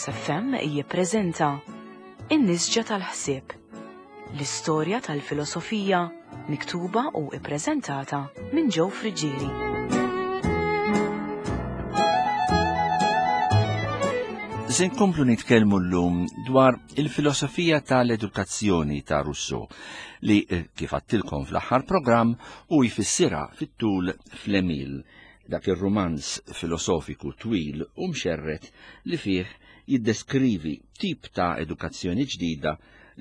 Veritas FM jippreżenta In-Nisġa tal-Ħsieb, l-istorja tal-filosofija miktuba u ippreżentata minn Joe Friggieri. Se nkomplu nitkellmu llum dwar il-filosofija tal-edukazzjoni ta' Rousseau li eh, kif għattilkom fl-aħħar programm u jfissirha fit-tul fl-Emil dak ir-rumanz filosofiku twil u mxerred li fih jiddeskrivi tip ta' edukazzjoni ġdida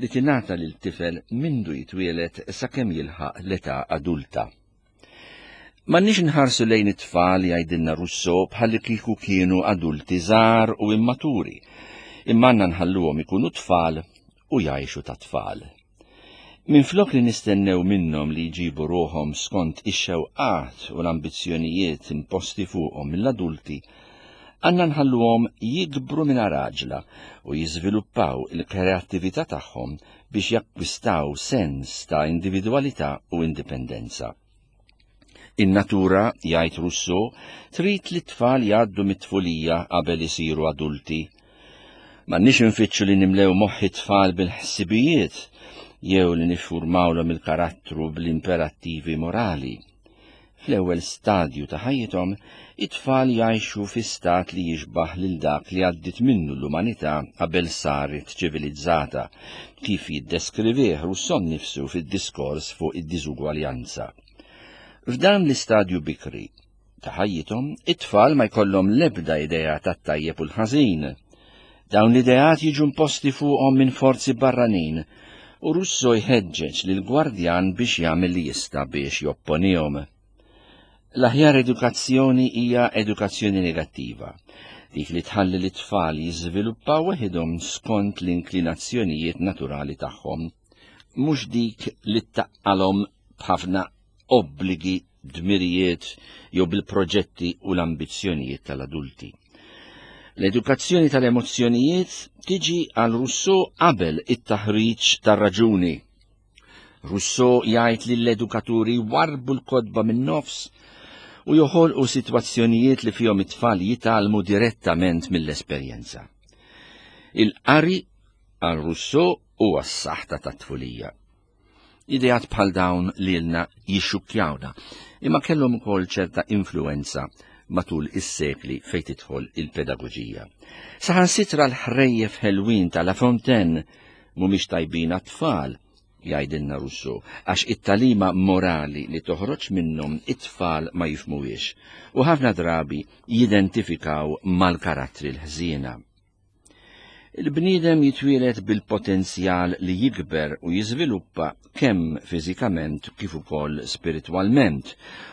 li tingħata lil tifel mindu jitwieled sakemm jilħaq l-età adulta. M'għandniex nħarsu lejn it-tfal jgħidilna Rousseau bħalli kieku kienu adulti żgħar u immaturi, imma għandna nħalluhom ikunu tfal u jgħixu ta' tfal. Minflok li nistennew minnhom li jġibu ruħhom skont ix-xewqat u l-ambizzjonijiet imposti fuqhom mill-adulti, għandna nħalluhom jikbru mingħajr għaġla u jiżviluppaw il-kreattività tagħhom biex jakkwistaw sens ta' individwalità u indipendenza. In-natura, jgħid Rousseau, trid li t-tfal jgħaddu mit-tfulija qabel isiru adulti. M'għandniex infittxu li nimlew moħħ it-tfal bil-ħsibijiet jew li niffurmawlhom il-karattru bl-imperattivi morali. Fl-ewwel stadju ta' ħajjithom, it-tfal jgħixu fi stat li jixbah lil dak li għaddiet minnu l-umanità qabel saret ċivilizzata, kif jiddeskrivih Rousseau nnifsu fid-diskors fuq id-diżugwaljanza. F'dan l-istadju bikri ta' ħajjithom, it-tfal ma jkollhom l-ebda idea tat-tajjeb u l-ħażin. Dawn l-ideat jiġu imposti fuqhom minn forzi barranin u Russo jħeġġeġ lil gwardjan biex jagħmel li jista' biex jopponihom. L-aħjar edukazzjoni hija edukazzjoni negattiva, dik li tħalli lit-tfal jiżviluppaw weħidhom skont l-inklinazzjonijiet naturali tagħhom, mhux dik li ttaqqalhom b'ħafna obbligi, dmirijiet jew bil-proġetti u l-ambizzjonijiet tal-adulti. L-edukazzjoni tal-emozzjonijiet tiġi għal Rousseau qabel it-taħriġ tar-raġuni. Rousseau jgħid li l-edukaturi warbu l-kotba min-nofs u joħolqu sitwazzjonijiet li fihom it-tfal jitgħallmu direttament mill-esperjenza. Il-qari għal Rousseau huwa s-saħta tat-tfulija. Ideat bħal dawn lilna jixxukkjawna, imma kellhom ukoll ċerta influwenza matul is-sekli fejn tidħol il-pedagoġija. Saħansitra l-ħrejjef ħelwin ta' La Fontaine mhumiex tajbin għat-tfal, jgħidilna Rousseau, għax it-tagħlima morali li toħroġ minnhom it-tfal ma jifhmuhiex u ħafna drabi jidentifikaw mal-karattri l-ħżiena. Il-bniedem jitwieled bil-potenzjal li jikber u jiżviluppa kemm fiżikament kif ukoll spiritwalment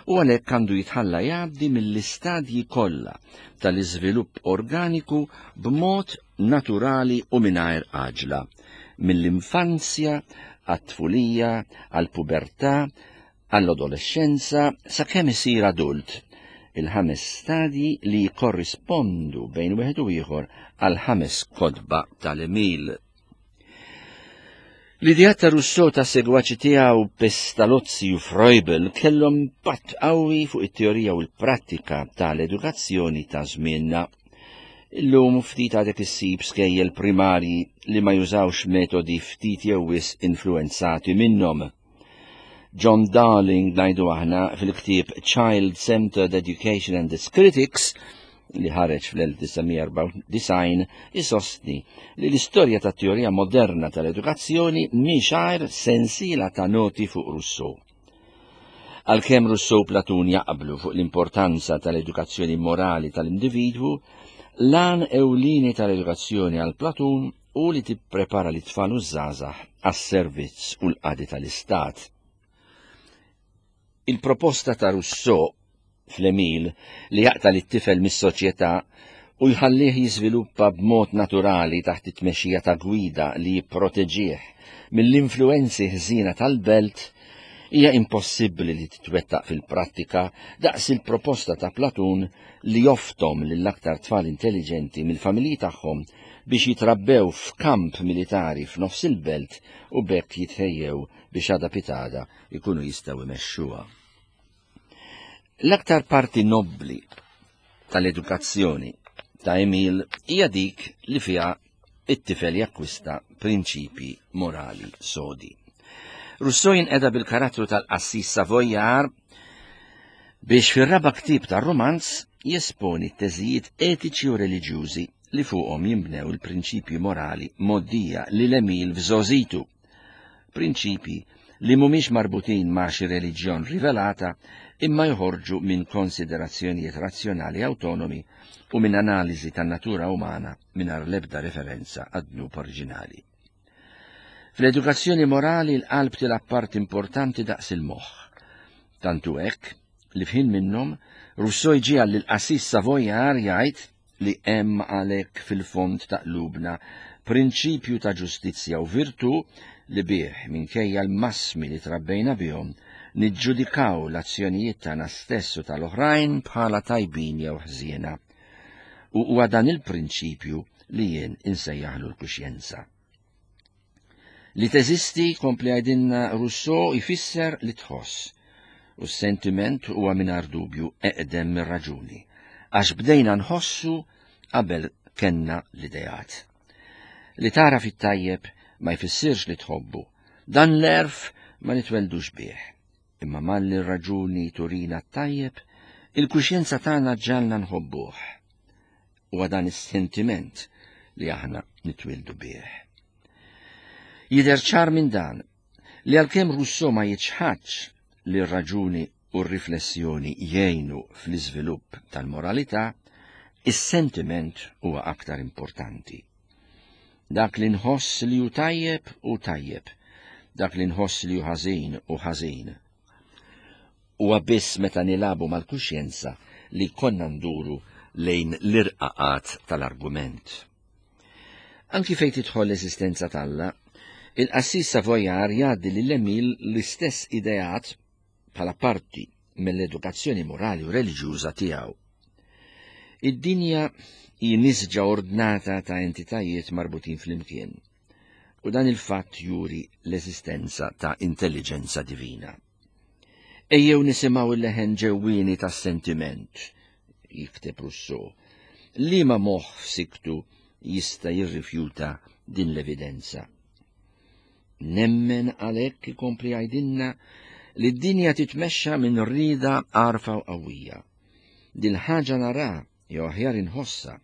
u għalhekk għandu jitħalla jgħaddi mill-istadji kollha tal-iżvilupp organiku b'mod naturali u mingħajr għaġla, mill-infanzja għat-tfulija, għall-pubertà, għall-adolexxenza sakemm isir adult, il-ħames stadji li jikkorrispondu bejn wieħed u ieħor għall-ħames kotba tal-Emil. L-ideat ta' Rousseau ta' segwaċi tiegħu Pestalozzi u Froebel kellhom impatt qawwi fuq it-teorija u l-prattika tal-edukazzjoni ta' żmienna. Illum ftit għadek issib skejjel primarji li ma jużawx metodi ftit jew wisq influwenzati minnhom. John Darling ngħidu aħna fil-ktieb Child-Centered Education and its Critics li ħareġ fl-1994 isostni li l-istorja tat-teorija moderna tal-edukazzjoni mhix għajr sensiela ta' noti fuq Rousseau. Għalkemm Rousseau u Platun jaqblu fuq l-importanza tal-edukazzjoni morali tal-individwu, l-għan ewlieni tal-edukazzjoni għal Platun u li tipprepara lit-tfal u ż-żgħażagħ għas-servizz u l-qadi tal-Istat. Il-proposta ta' Rousseau fl-Emil li jaqta' lit-tifel mis-soċjetà u jħallih jiżviluppa b'mod naturali taħt it-tmexxija ta' gwida li jipproteġih mill-influwenzi ħżiena tal-belt hija impossibbli li titwettaq fil-prattika daqs il-proposta ta' Platun li joftom lill-aktar tfal intelliġenti mill-familji tagħhom biex jitrabbew f'kamp militari f'nofs il-belt u b'hekk jitħejjew biex għada pitgħada jkunu jistgħu jmexxuha. L-aktar parti nobbli tal-edukazzjoni ta' Emil hija dik li fiha it-tifel jakkwista prinċipji morali sodi. Rousseau jinqeda bil-karattru tal-qassis Savoyard biex fir-raba' ktieb tar-rumanz jesponi t-teżijiet etiċi u reliġjużi li fuqhom jinbnew il-prinċipji morali mgħoddija lil Emil f'żgħożitu. Prinċipji li mhumiex marbutin ma' xi reliġjon rivelata imma joħorġu minn konsiderazzjonijiet razzjonali awtonomi u minn analiżi tan-natura umana mingħajr l-ebda referenza għad-dnub oriġinali. Fl-edukazzjoni morali l-qalb tilgħab parti importanti daqs il-moħħ. Tant hu hekk li f'ħin minnhom Rousseau jġiegħel lill-qassis Savoyard jgħid li hemm għalhekk fil-fond ta' qlubna prinċipju ta' ġustizzja u virtù li bih, minkejja l-massmi li trabbejna bihom, niġġudikaw l-azzjonijiet tagħna stess u tal-oħrajn bħala tajbin jew ħżiena. U huwa dan il-prinċipju li jien insejjaħlu l-kuxjenza. Li teżisti, kompli għajdinna Rousseau, jfisser li tħoss. U s-sentiment huwa mingħajr dubju eqdem mir-raġuni, għax bdejna nħossu qabel kenna l-ideat. Li tara fit-tajjeb ma jfissirx li tħobbu. Dan l-erf ma nitweldux bih. Imma malli r-raġuni turina t-tajjeb, il-kuxjenza tagħna ġalna nħobbuh. Huwa dan is-sentiment li aħna nitwildu bih. Jidher ċar minn dan li għalkemm Rousseau ma jiċħadx li r-raġuni u r-riflessjoni jgħinu fl-iżvilupp tal-moralità, is-sentiment huwa aktar importanti. Dak li nħoss li hu tajjeb hu tajjeb, dak li nħoss li hu ħażin hu ħażin. Huwa biss meta nilagħbu mal-kuxjenza li konna nduru lejn l-irqaqat tal-argument. Anki fejn tidħol l-eżistenza t'Alla, il-qassis Savoyard jgħaddi lil Emil l-istess ideat bħala parti mill-edukazzjoni morali u reliġjuża tiegħu. Id-dinja hi nisġa ordnata ta' entitajiet marbutin flimkien, u dan il-fatt juri l-eżistenza ta' intelliġenza divina. Ejjew nisimgħu il-leħen ġewwieni tas-sentiment, jikteb Rousseau, liema moħħ f'siktu jista' jirrifjuta din l-evidenza. Nemmen għalhekk ikompli jgħidilna li d-dinja titmexxa minn rieda għarfa u qawwija. Dil-ħaġa nara jew aħjar inħossha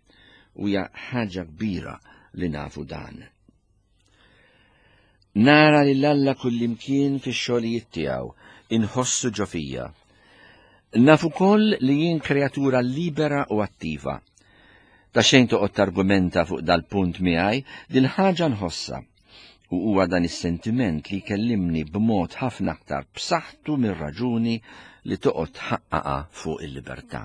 u hija ħaġa kbira li nafu dan. Nara lil Alla kullimkien fix-xogħlijiet tiegħu, inħossu ġo fija. Naf ukoll li jien kreatura libera u attiva. Ta' xejn toqgħod targumenta fuq dal-punt miegħi, dil-ħaġa nħossha. U huwa dan is-sentiment li jkellimni b'mod ħafna aktar b'saħħtu mir-raġuni li toqgħod tħaqqaqha fuq il-libertà.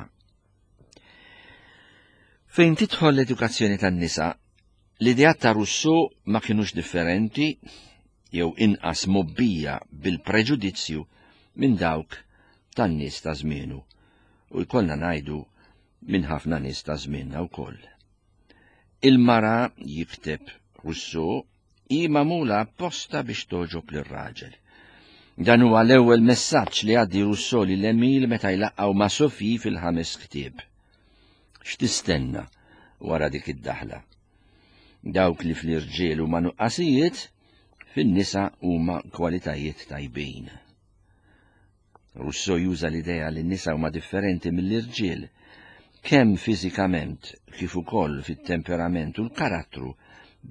Fejn tidħol l-edukazzjoni tan-nisa, l-ideat ta' Rousseau ma kinux differenti jew inqas mobbija bil-preġudizzju minn dawk tan-nies ta' żmienu u jkollna ngħidu minn ħafna nies ta' żmienna wkoll. Il-mara, jikteb Rousseau, hi magħmula apposta biex togħġob lir-raġel. Dan huwa l-ewwel messaġġ li għaddi Rousseau lil Emil meta jlaqqgħu ma' Sophie fil-ħames ktieb. X'tistenna wara dik id-daħla? Dawk li fl-irġiel huma nuqqasijiet, fin-nisa huma kwalitajiet tajbin. Rousseau juża l-idea li n-nisa huma differenti mill-irġiel, kemm fiżikament kif ukoll fit-temperament u l-karattru,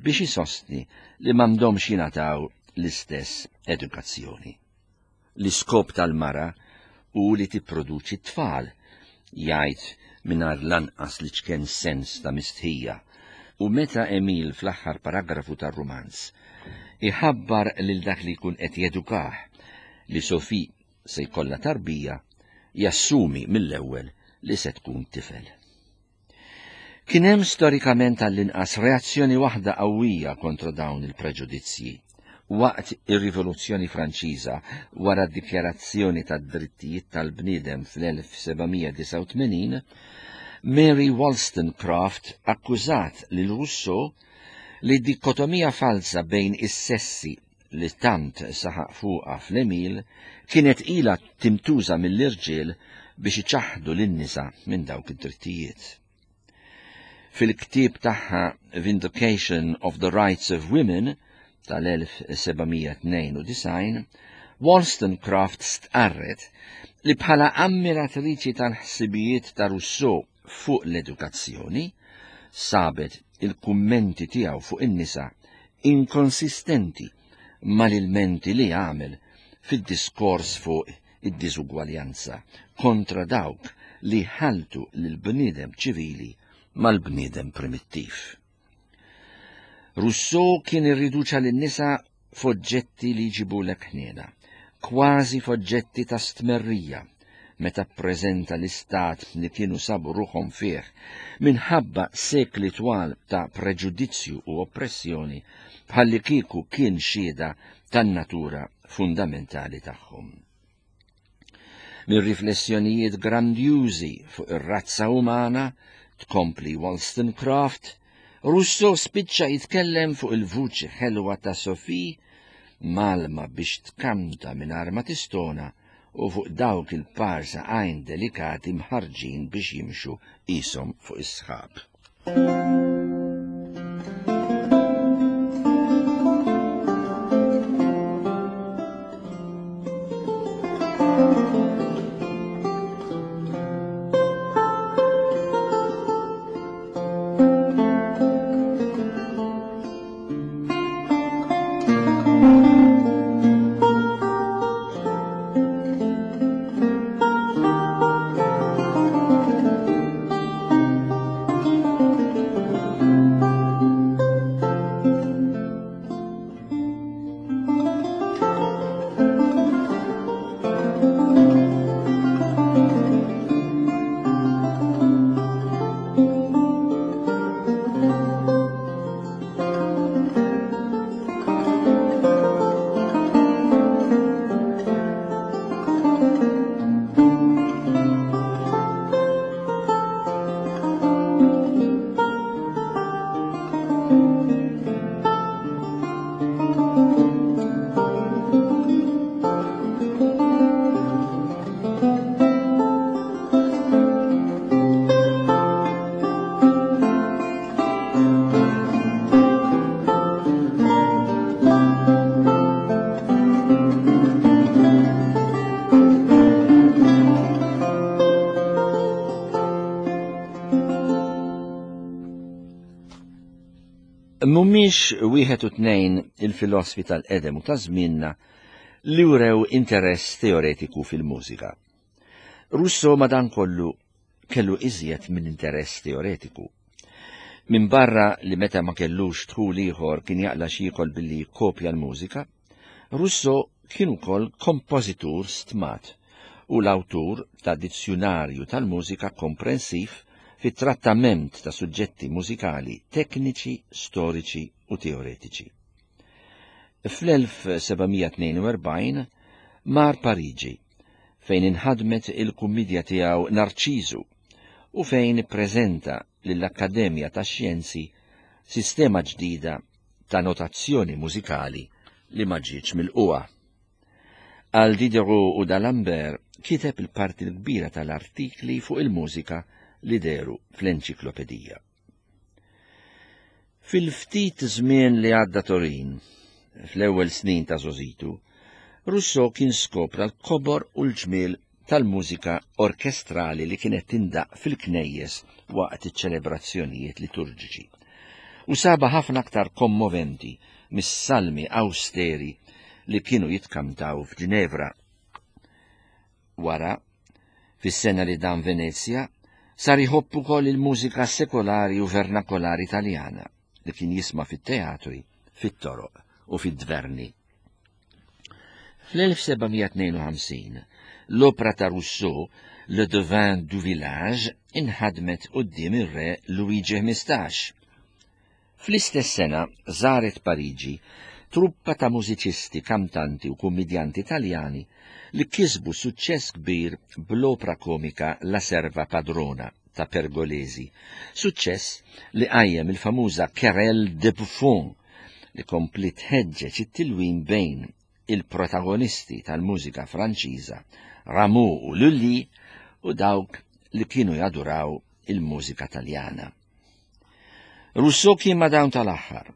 biex isostni li m'għandhomx jingħataw l-istess edukazzjoni. L-iskop tal-mara hu li tipproduċi t-tfal, jgħid mingħajr lanqas l-iċken sens ta' mistħija, u meta Emil fl-aħħar paragrafu tar-rumanz iħabbar lil dak li jkun qed jedukah li Sophie se jkollha tarbija, jassumi mill-ewwel li se tkun tifel. Kien hemm storikament għall-inqas reazzjoni waħda qawwija kontra dawn il-preġudizzji. Waqt ir-Rivoluzzjoni Franċiża, wara d-Dikjarazzjoni tad-Drittijiet tal-Bniedem fl-1789, Mary Wollstonecraft akkużat lil Rousseau li d-dikotomija falsa bejn is-sessi li tant saħaq fuqha fl-Emile kienet ilha tintuża mill-irġiel biex iċaħħdu lin-nisa minn dawk id-drittijiet. Fil-ktieb tagħha Vindication of the Rights of Women tal-1792, Wollstonecraft stqarret li bħala ammiratriċi tal-ħsibijiet ta' Rousseau fuq l-edukazzjoni, sabet il-kummenti tiegħu fuq in-nisa inkonsistenti mal-ilmenti li għamel fid-diskors fuq id-diżugwaljanza kontra dawk li ħaltu lill-bniedem ċivili mal-bniedem primittiv. Rousseau kien irriduċa lin-nisa f'oġġetti li jġibulek ħniena, kważi f'oġġetti ta' stmerrija, meta ppreżenta l-istat li kienu sabu ruħhom fih minħabba sekli twal ta' preġudizzju u oppressjoni bħallikieku kien xhieda tan-natura fundamentali tagħhom. Mir-riflessjonijiet grandjużi fuq ir-razza umana, tkompli Wollstonecraft, Rousseau spiċċa jitkellem fuq il-vuċi ħelwa ta' Sophie mgħallma biex tkanta mingħajr ma tistona u fuq dawk il-par saqajn delikati mħarrġin biex jimxu qishom fuq is-sħab. Mhumiex wieħed u tnejn il-filosfi tal-qedem u ta' żmienna li wrew interess teoretiku fil-mużika. Rousseau madankollu kellu iżjed minn interess teoretiku. Minbarra li meta ma kellux dħul ieħor kien jaqla' x'jiekol billi jikkopja l-mużika, Rousseau kien ukoll kompożitur stmat u l-awtur ta' dizzjunarju tal-mużika komprensiv fit-trattament ta' suġġetti mużikali tekniċi, storiċi u teoretiċi. Fl-1742 mar Pariġi fejn inħadmet il-kummidja tiegħu Narċiżu u fejn ippreżenta lill-Akkademja tax-Xjenzi sistema ġdida ta' notazzjoni mużikali li ma ġietx milqugħa. Għal Diderot u d'Alembert kiteb il-parti l-kbira tal-artikli fuq il-mużika li dehru fl-enċiklopedija. Fil-ftit żmien li għadda Torin, fl-ewwel snin ta' żgħożitu, Rousseau kien skopra l-kobor u l-ġmiel tal-mużika orkestrali li kienet tindaqq fil-knejjes waqt iċ-ċelebrazzjonijiet liturġiċi. U sabha ħafna aktar kommoventi mis-salmi awsteri li kienu jitkantaw f'Ġinevra. Wara, fis-sena li dam Venezja, sar iħobb ukoll il-mużika sekolari u vernakolari Taljana li kien jisma' fit-teatri, fit-toroq u fid-dverni. Fl-1752, l-opra ta' Rousseau, Le Devin du Village, inħadmet quddiem ir-Re Luigi 15. Fl-istess sena żaret Pariġi truppa ta' mużiċisti, kantanti u kummidjanti Taljani li kisbu suċċess kbir bl-opra komika La Serva Padrona ta' Pergolesi, suċċess li qajjem il-famuża Querelle des Bouffons li kompliet tħeġġeġ it-tilwim bejn il-protagonisti tal-mużika Franċiża Rameau u Lully u dawk li kienu jaduraw il-mużika Taljana. Rousseau kien ma' dawn tal-aħħar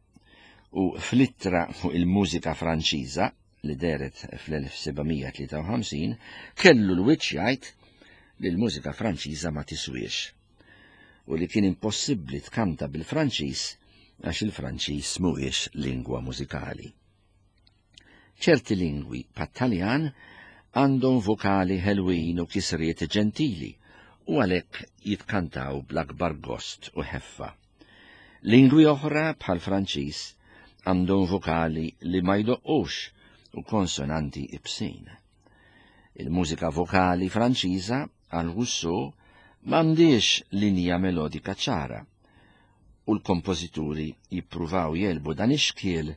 u fl-ittra fuq il-mużika Franċiża li dehret fl-1753 kellu l-wiċċ jgħid li l-mużika Franċiża ma tiswiex u li kien impossibbli tkanta bil-Franċiż għax il-Franċiż mhuwiex lingwa mużikali. Ċerti lingwi bħat-Taljan għandhom vokali ħelwin u kisriet ġentili u għalhekk jitkantaw bl-akbar gost u ħeffa. Lingwi oħra bħall-Franċiż għandhom vokali li ma jdoqqux u konsonanti ibsin. Il-mużika vokali Franċiża għal Rousseau m'għandhiex linja melodika ċara u l-kompożituri jippruvaw jegħlbu dan ix-xkiel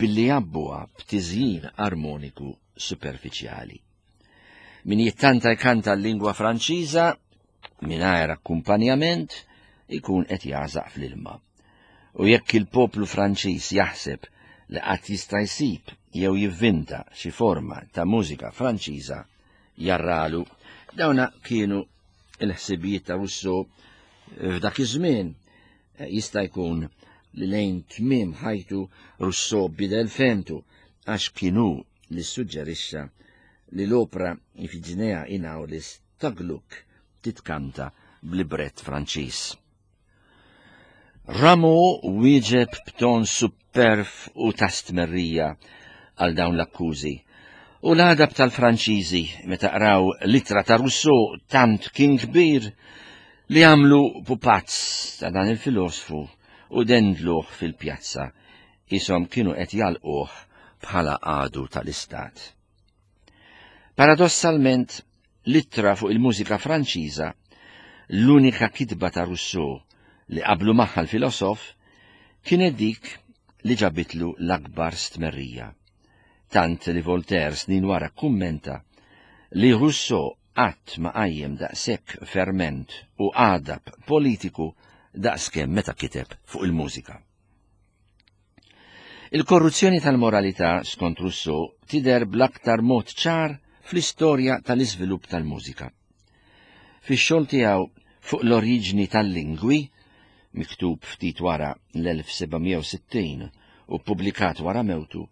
billi jgħabbuha b'tiżjin armoniku superfiċjali. Min jittanta jkanta l-lingwa Franċiża mingħajr akkumpanjament ikun qed jagħżaq fl-ilma. U jekk il-poplu Franċiż jaħseb li qatt jista' jsib jew jivvinta xi forma ta' mużika Franċiża, jarralu. Dawna kienu il-ħsibijiet ta' Rousseau f'dak iż-żmien. Jista' jkun li lejn tmiem ħajtu Rousseau bidel fehmtu għax kien hu li ssuġġerixxa li l-opra Ifiġinea in Aulis ta' Gluck titkanta b'librett Franċiż. Rameau wieġeb b'ton supperv u ta' stmerrija għal dawn l-akkużi. U l-għadab tal-Franċiżi meta qraw l-ittra ta' Rousseau tant kien kbir li għamlu pupazz ta' dan il-filosfu u dendluh fil-pjazza qishom kienu qed jagħlquh bħala għadu tal-istat. Paradossalment, l-ittra fuq il-mużika Franċiża, l-unika kitba ta' Rousseau li qablu magħha l-filosof, kienet dik li ġabitlu l-akbar stmerrija. Tant li Voltaire snin wara kkummenta li Rousseau qatt ma qajjem daqshekk ferment u għadab politiku daqskemm meta kiteb fuq il-mużika. Il-korruzzjoni tal-moralità, skont Rousseau, tidher bl-aktar mod ċar fl-istorja tal-iżvilupp tal-mużika. Fix-xogħol tiegħu fuq l-oriġni tal-lingwi, miktub ftit wara l-1760 u ppubblikat wara mewtu,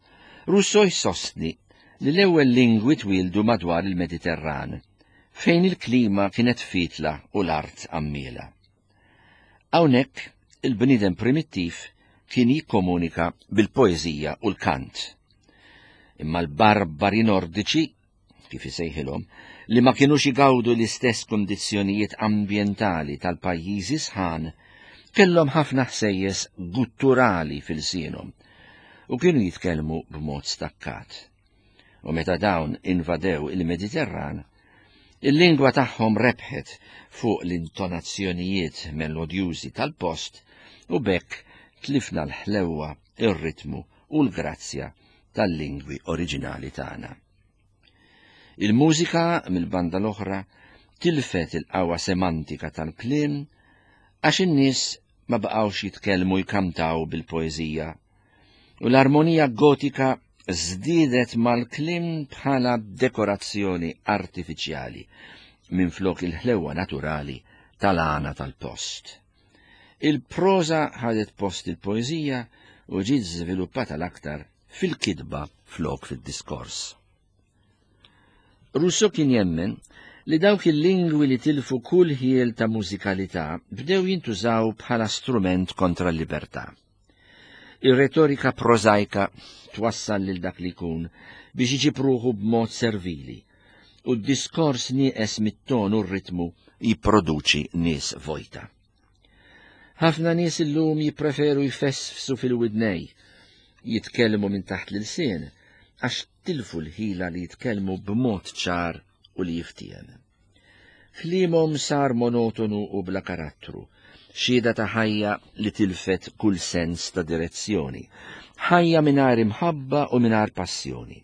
Rousseau jsostni li l-ewwel lingwi twieldu madwar il-Mediterran, fejn il-klima kienet fietla u l-art għammiela. Hawnhekk il-bniedem primittiv kien jikkomunika bil-poeżija u l-kant. Imma l-barbari Nordiċi, kif isejħilhom, li ma kinux igawdu l-istess kundizzjonijiet ambjentali tal-pajjiżi sħan, kellhom ħafna ħsejjes gutturali f'ilsienhom u kienu jitkellmu b'mod stakkat. U meta dawn invadew il-Mediterran, il-lingwa tagħhom rebħet fuq l-intonazzjonijiet melodjużi tal-post u b'hekk tlifna l-ħlewwa, ir-ritmu u l-grazzja tal-lingwi oriġinali tagħna. Il-mużika, mill-banda l-oħra, tilfet il-qawwa semantika tal-kliem għax in-nies ma baqgħux jitkellmu jkantaw bil-poeżija u l-armonija gotika żdiedet mal-kliem bħala dekorazzjoni artifiċjali minflok il-ħlewwa naturali tal-għana tal-post. Il-proża ħadet post il-poeżija u ġiet żviluppata l-aktar fil-kitba flok fid-diskors. Rousseau kien jemmen li dawk il-lingwi li tilfu kull ħiel ta' mużikalità bdew jintużaw bħala strument kontra l-libertà. Ir-retorika prożajka twassal lil dak li jkun biex iġib ruħu b'mod servili u d-diskors nieqes mit-ton u r-ritmu jipproduċi nies vojta. Ħafna nies illum jippreferu jfesfsu fil-widnej, jitkellmu minn taħt l-ilsien, għax tilfu l-ħila li jitkellmu b'mod ċar u li jiftiehem. Kliemhom sar monotonu u bla karattru, xhieda ta' ħajja li tilfet kull sens ta' direzzjoni, ħajja mingħajr imħabba u mingħajr passjoni.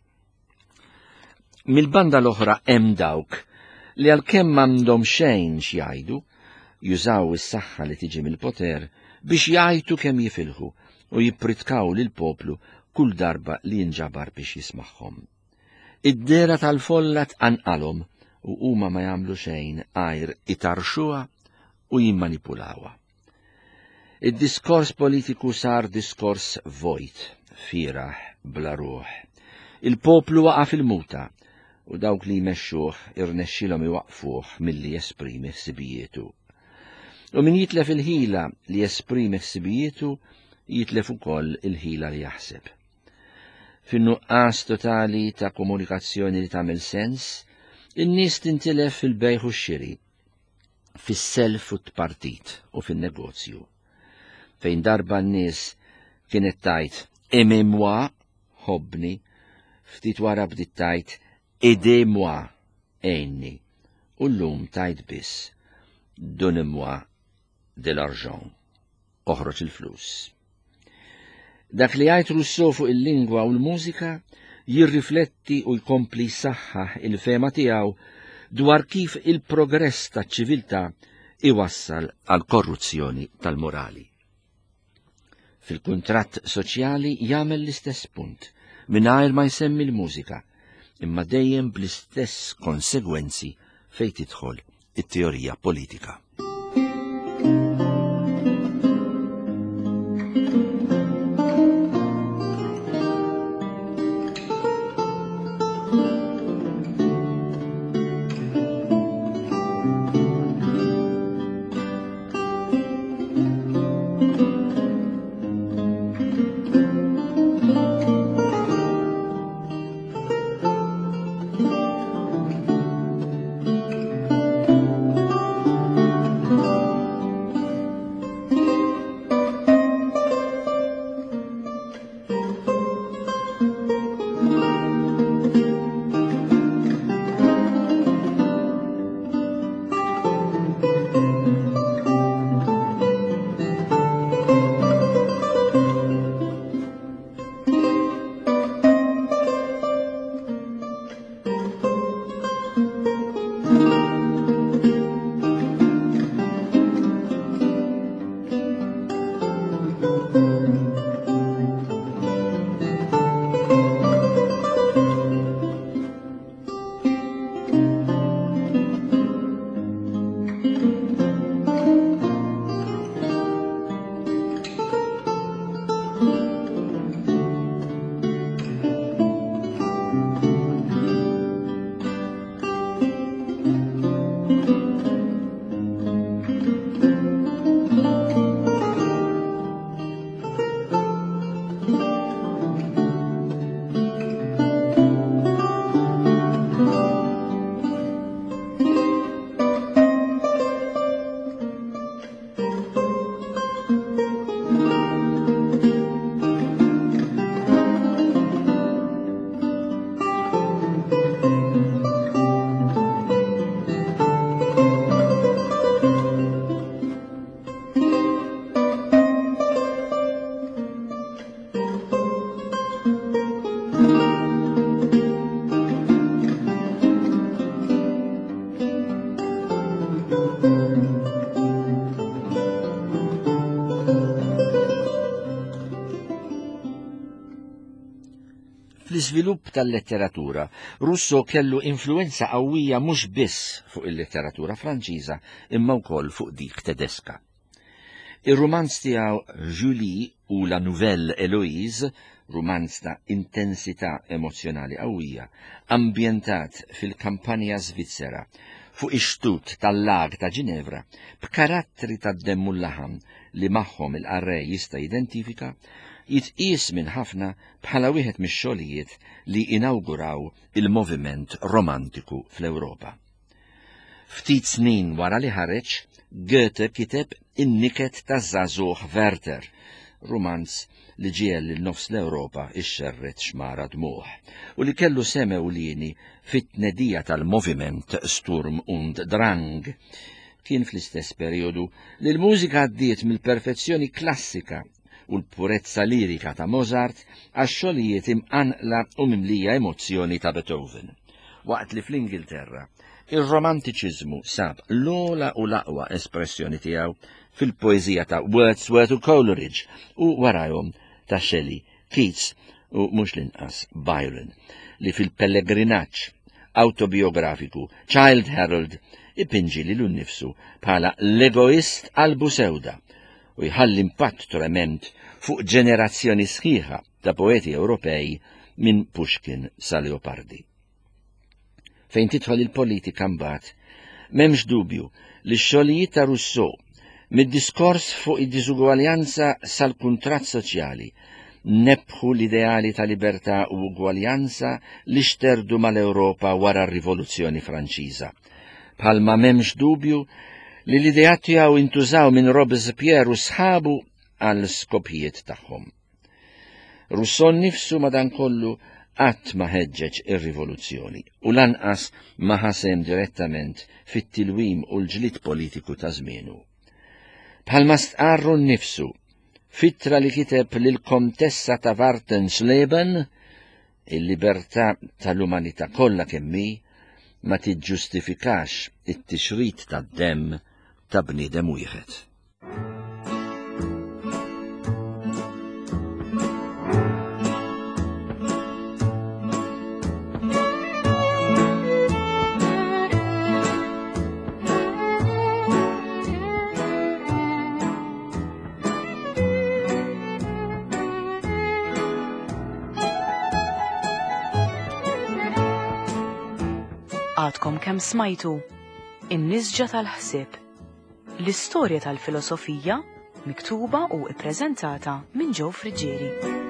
Mill-banda l-oħra hemm dawk li għalkemm m'għandhom xejn x'jgħidu, jużaw is-saħħa li tiġi mill-poter biex jgħajtu kemm jifilħu u jippritkaw lill-poplu kull darba li jinġabar biex jismagħhom. Id-dehra tal-folla tqanqalhom u huma ma jagħmlu xejn għajr itarrxuha u jimmanipulawha. Id-diskors politiku sar diskors vojt, fieragħ, bla ruħ. Il-poplu waqa' fil-muta u dawk li jmexxuh irnexxilhom iwaqqfuh milli jesprimi ħsibijietu. U min jitlef il-ħila li jesprimi ħsibijietu, jitlef ukoll il-ħila li jaħseb. Fin-nuqqas totali ta' komunikazzjoni li tagħmel sens, in-nies tintilef fil-bejgħ u x-xiri. fis-self u t-tpartit u fin-negozju. Fejn darba n-nies kienet tgħid aimez-moi, ħobbni, ftit wara bdiet tgħid aidez-moi, għinni, u llum tgħid biss donnez-moi de l'argent, oħroġ il-flus. Dak li jgħid Rousseau fuq il-lingwa u l-mużika jirrifletti u jkompli jsaħħaħ il-fehma tiegħu dwar kif il-progress taċ-ċiviltà iwassal għal korruzzjoni tal-morali. Fil-kuntratt soċjali jagħmel l-istess punt, mingħajr ma jsemmi l-mużika, imma dejjem bl-istess konsegwenzi fejn tidħol it-teorija politika. Fl-iżvilupp tal-letteratura, Rousseau kellu influwenza qawwija mhux biss fuq il-letteratura Franċiża imma wkoll fuq dik Tedeska. Ir-rumanz tiegħu Julie u La Nouvelle Héloïse, rumanz ta' intensità emozzjonali qawwija, ambjentat fil-kampanja Svizzera, fuq ix-xtut tal-Lag ta' Ġinevra, b'karattri tad-demm u l-laħam li magħhom il-qarrej jista' jidentifika, jitqies minn ħafna bħala wieħed mix-xogħlijiet li inawguraw il-moviment romantiku fl-Ewropa. Ftit snin wara li ħareġ, Goethe kiteb In-Niket taż-Żagħżugħ Werther, rumanz li ġiegħel lil nofs l-Ewropa ixxerred xmara dmugħ, u li kellu sehem ewlieni fit-tnedija tal-moviment Sturm und Drang. Kien fl-istess perijodu li l-mużika għaddiet mill-perfezzjoni klassika u l-purezza lirika ta' Mozart għax-xogħlijiet imqanqla u mimlija emozzjoni ta' Beethoven. Waqt li fl-Ingilterra, ir-Romantiċiżmu sab l-ogħla u l-aqwa espressjoni tiegħu fil-poeżija ta' Wordsworth u Coleridge u warajhom ta' Shelley, Keats u mhux l-inqas Byron, li fil-pellegrinaġġ awtobiografiku Childe Harold ipinġi lilu nnifsu bħala l-egoist qalbu sewda. u jħalli impatt tremend fuq ġenerazzjoni sħiħa ta' poeti Ewropej minn Pushkin sa Leopardi. Fejn tidħol il-politika mbagħad, m'hemmx dubju li x-xogħlijiet ta' Rousseau mid-diskors fuq id-diżugwaljanza sal-kuntratt soċjali nebbħu l-ideali ta' libertà u ugwaljanza li xterdu mal-Ewropa wara r-Rivoluzzjoni Franċiża. Bħalma m'hemmx dubju li l-ideat tiegħu intużaw minn Robespierre u sħabu għal skopijiet tagħhom. Rousseau nnifsu madankollu qatt ma ħeġġeġ ir-rivoluzzjoni u lanqas ma ħa sehem direttament fit-tilwim u l-ġlied politiku ta' żmienu. Bħalma stqarru nnifsu f'ittra li kiteb lill-Kontessa ta' Wartensleben, il-libertà tal-umanità kollha kemm hi ma tiġġustifikax it-tixrid tad-demm ta' bniedem wieħed. Għadkom kemm smajtu In-nisġa tal-ħsieb. L-istorja tal-filosofija miktuba u ippreżentata minn Joe Friggieri.